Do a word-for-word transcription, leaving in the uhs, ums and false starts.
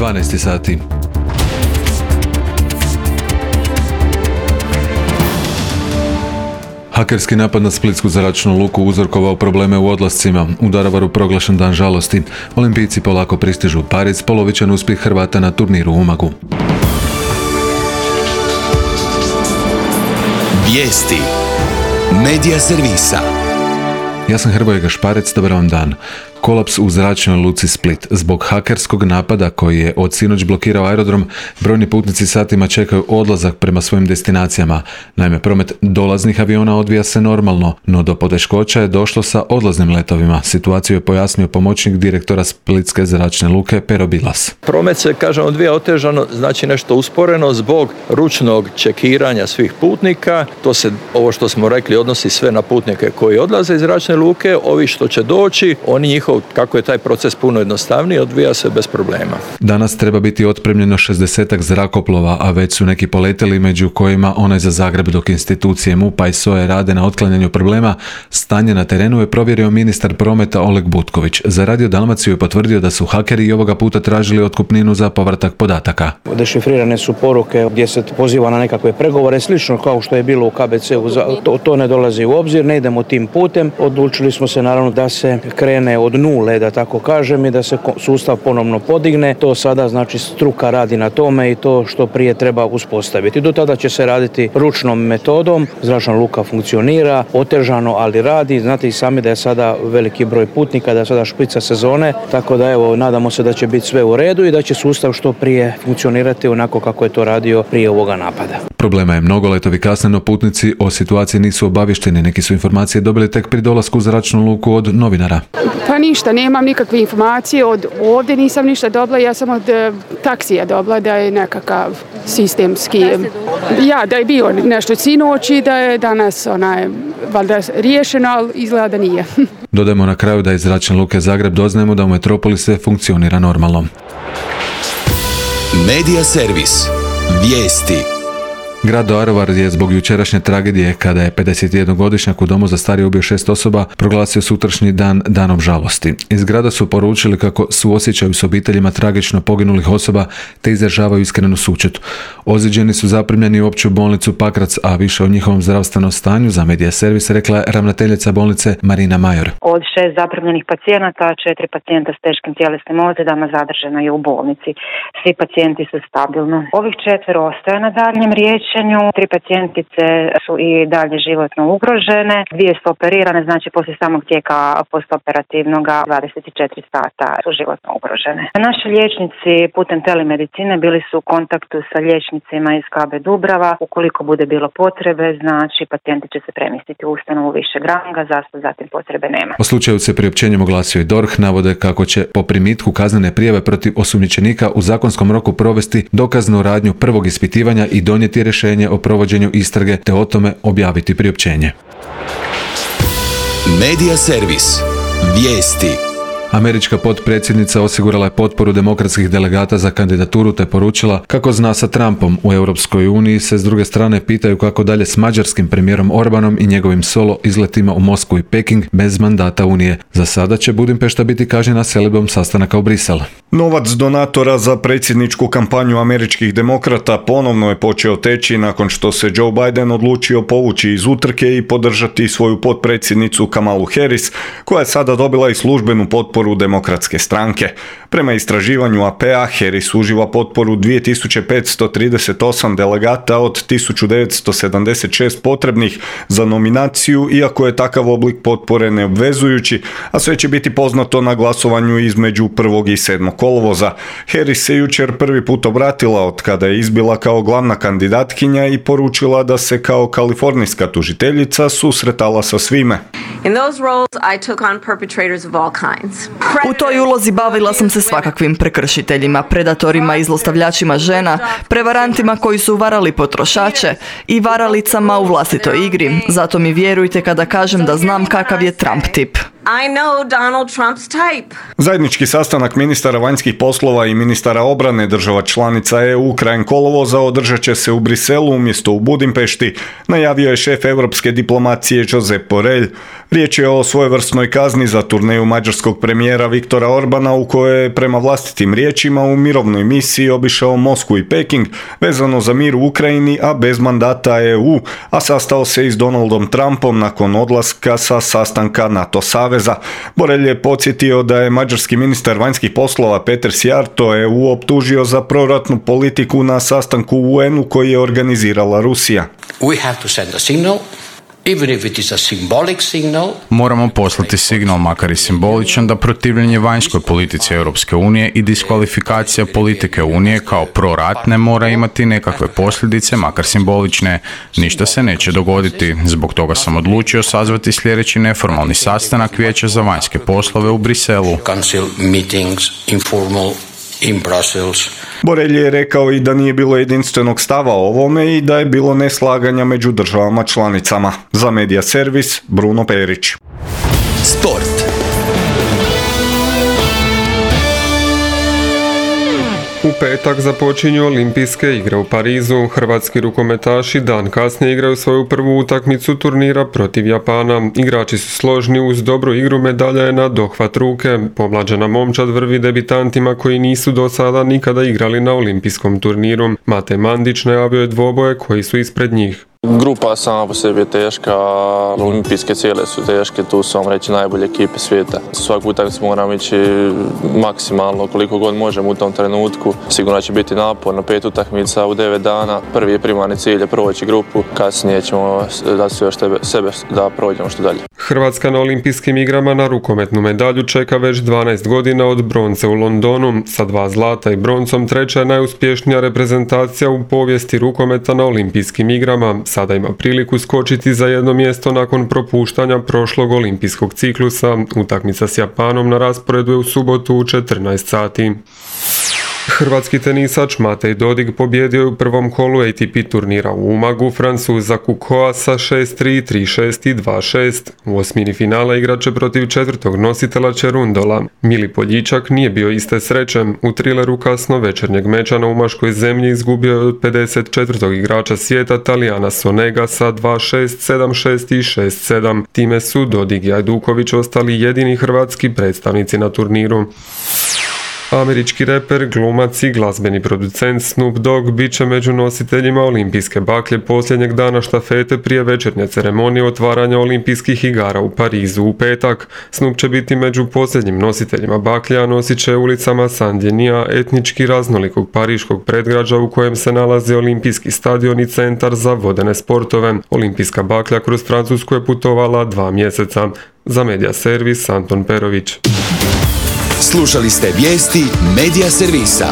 dvanaest sati. Hakerski napad na splitsku zračnu luku uzrokovao probleme u odlascima. U Daruvaru proglašen dan žalosti. Olimpijci polako pristižu u Pariz, polovičan uspjeh Hrvata na turniru u Umagu. Vijesti Medija servisa. Ja sam Hrvoje Gašparec, dobar vam dan. Kolaps u zračnoj luci Split. Zbog hakerskog napada koji je od sinoć blokirao aerodrom, brojni putnici satima čekaju odlazak prema svojim destinacijama. Naime, promet dolaznih aviona odvija se normalno, no do poteškoća je došlo sa odlaznim letovima. Situaciju je pojasnio pomoćnik direktora Splitske zračne luke Pero Bilas. Promet se, kažem, odvija otežano, znači nešto usporeno zbog ručnog čekiranja svih putnika. To se, ovo što smo rekli, odnosi sve na putnike koji odlaze iz zračne luke. Ovi što će doći, oni njihov, kako je taj proces puno jednostavniji, odvija se bez problema. Danas treba biti otpremljeno šezdesetak zrakoplova, a već su neki poletjeli, među kojima onaj za Zagreb, dok institucije MUP-a i S O E rade na otklanjanju problema. Stanje na terenu je provjerio ministar prometa Oleg Butković. Za Radio Dalmaciju je potvrdio da su hakeri i ovoga puta tražili otkupninu za povratak podataka. Dešifrirane su poruke gdje se poziva na nekakve pregovore, slično kao što je bilo u K B C-u. To, to ne dolazi u obzir, ne idemo tim putem. Odlučili smo se naravno da se krene od nule, da tako kažem, i da se sustav ponovno podigne. To sada znači struka radi na tome i to što prije treba uspostaviti. Do tada će se raditi ručnom metodom. Zračna luka funkcionira, otežano, ali radi. Znate i sami da je sada veliki broj putnika, da je sada špica sezone, tako da evo, nadamo se da će biti sve u redu i da će sustav što prije funkcionirati onako kako je to radio prije ovoga napada. Problema je mnogo, letovi kasne, no putnici o situaciji nisu obavješteni. Neki su informacije dobili tek pri dolasku u zračnu luku od novinara. Pa ništa, nemam nikakve informacije od ovdje, nisam ništa dobila, ja sam od e, taksija dobila da je nekakav sistemski, ja, da je bio nešto sinoć i da je danas onaj, valjda riješeno, ali izgleda da nije. Dodajmo na kraju da iz zračne luke Zagreb doznajemo da u metropoli sve funkcionira normalno. Medija servis. Vijesti. Grad Daruvar je zbog jučerašnje tragedije, kada je pedesetjednogodišnjak u domu za starije ubio šest osoba, proglasio sutrašnji dan danom žalosti. Iz grada su poručili kako suosjećaju s obiteljima tragično poginulih osoba te izražavaju iskrenu sućut. Ozlijeđeni su zaprimljeni u opću bolnicu Pakrac, a više o njihovom zdravstvenom stanju za Medija servis rekla je ravnateljica bolnice Marina Major. Od šest zaprimljenih pacijenata, četiri pacijenta s teškim tjelesnim ozljedama zadržano je u bolnici. Svi pacijenti su stabilno. Ovih četvero ostaje na daljnjem riječenju. Tri pacijentice su i dalje životno ugrožene. Dvije su operirane, znači poslije samog tijeka postoperativnog dvadeset četiri sata su životno ugrožene. Naši liječnici putem telemedicine bili su u kontaktu sa liječnicima iz K B Dubrava. Ukoliko bude bilo potrebe, znači pacijenti će se premjestiti u ustanovu višeg ranga, zašto zatim potrebe nema. O slučaju se priopćenjem oglasio i D O R H, navode kako će po primitku kaznene prijave protiv osumnjičenika u zakonskom roku provesti dokaznu radnju prvog ispitivanja i donijeti rješenje o provođenju istrage te o tome objaviti priopćenje. Medija servis. Vijesti. Američka potpredsjednica osigurala je potporu demokratskih delegata za kandidaturu te poručila kako zna sa Trumpom. U Europskoj uniji se s druge strane pitaju kako dalje s mađarskim premijerom Orbanom i njegovim solo izletima u Moskvu i Peking bez mandata Unije. Za sada će Budimpešta biti kažnjena selidbom sastanaka u Brisel. Novac donatora za predsjedničku kampanju američkih demokrata ponovno je počeo teći nakon što se Joe Biden odlučio povući iz utrke i podržati svoju potpredsjednicu Kamalu Harris, koja je sada dobila i službenu potporu demokratske stranke. Prema istraživanju A P A, Harris uživa potporu dvije tisuće petsto trideset osam delegata od tisuću devetsto sedamdeset šest potrebnih za nominaciju, iako je takav oblik potpore neobvezujući, a sve će biti poznato na glasovanju između prvog i sedmog kolovoza. Harris se jučer prvi put obratila od kada je izbila kao glavna kandidatkinja i poručila da se kao kalifornijska tužiteljica susretala sa svime. In those roles, I took on perpetrators of all kinds. U toj ulozi bavila sam se svakakvim prekršiteljima, predatorima i zlostavljačima žena, prevarantima koji su varali potrošače i varalicama u vlastitoj igri. Zato mi vjerujte kada kažem da znam kakav je Trump tip. I know Donald Trump's type. Zajednički sastanak ministara vanjskih poslova i ministara obrane država članica E U krajem kolovoza održat će se u Briselu umjesto u Budimpešti, najavio je šef europske diplomacije Josep Borrell. Riječ je o svojevrsnoj kazni za turneju mađarskog premijera Viktora Orbana u kojoj je prema vlastitim riječima u mirovnoj misiji obišao Moskvu i Peking vezano za mir u Ukrajini, a bez mandata E U, a sastao se i s Donaldom Trumpom nakon odlaska sa sastanka NATO saveza. Borelj je podsjetio da je mađarski ministar vanjskih poslova Peter Szijjártó E U optužio za proratnu politiku na sastanku u U N-u koji je organizirala Rusija. We have to send a signal. Even if it is a symbolic signal. Moramo poslati signal, makar i simboličan, da protivljenje vanjskoj politici Europske unije i diskvalifikacija politike Unije kao proratne mora imati nekakve posljedice, makar simbolične. Ništa se neće dogoditi. Zbog toga sam odlučio sazvati sljedeći neformalni sastanak Vijeća za vanjske poslove u Briselu. Council meetings, informal in Brussels. Borelj je rekao i da nije bilo jedinstvenog stava o ovome i da je bilo neslaganja među državama članicama. Za Medija servis, Bruno Perić. Sport. U petak započinju olimpijske igre u Parizu. Hrvatski rukometaši dan kasnije igraju svoju prvu utakmicu turnira protiv Japana. Igrači su složni, uz dobru igru medalja je na dohvat ruke. Pomlađena momčad vrvi debitantima koji nisu do sada nikada igrali na olimpijskom turniru. Mate Mandić najavio je dvoboje koji su ispred njih. Grupa sama po sebi je teška, olimpijske cijele su teške, tu su vam reći najbolje ekipe svijeta. Svaku utakmicu moramo ići maksimalno koliko god možemo u tom trenutku. Sigurno će biti naporno, pet utakmica u devet dana. Prvi je primarni cilj je proći grupu, kasnije ćemo dati sve sebe da prođemo što dalje. Hrvatska na olimpijskim igrama na rukometnu medalju čeka već dvanaest godina od bronce u Londonu. Sa dva zlata i broncom treća je najuspješnija reprezentacija u povijesti rukometa na olimpijskim igrama. Sada ima priliku skočiti za jedno mjesto nakon propuštanja prošlog olimpijskog ciklusa. Utakmica s Japanom na rasporedu je u subotu u četrnaest sati. Hrvatski tenisač Matej Dodig pobjedio je u prvom kolu A T P turnira u Umagu Francuza Kukoa sa šest tri, tri šest i dva šest. U osmini finala igraće protiv četvrtog nositelja Čerundola. Mili Poljičak nije bio iste sreće. U trileru kasno večernjeg meča na umaškoj zemlji izgubio je od pedeset četvrtog igrača svijeta Talijana Sonega sa dva šest, sedam šest i šest sedam. Time su Dodig i Ajduković ostali jedini hrvatski predstavnici na turniru. Američki reper, glumac i glazbeni producent Snoop Dogg bit će među nositeljima olimpijske baklje posljednjeg dana štafete prije večernje ceremonije otvaranja olimpijskih igara u Parizu u petak. Snoop će biti među posljednjim nositeljima baklje, a nosit će ulicama Saint-Denis, etnički raznolikog pariškog predgrađa u kojem se nalazi olimpijski stadion i centar za vodene sportove. Olimpijska baklja kroz Francusku je putovala dva mjeseca. Za Medija servis, Anton Perović. Slušali ste vijesti Medija servisa.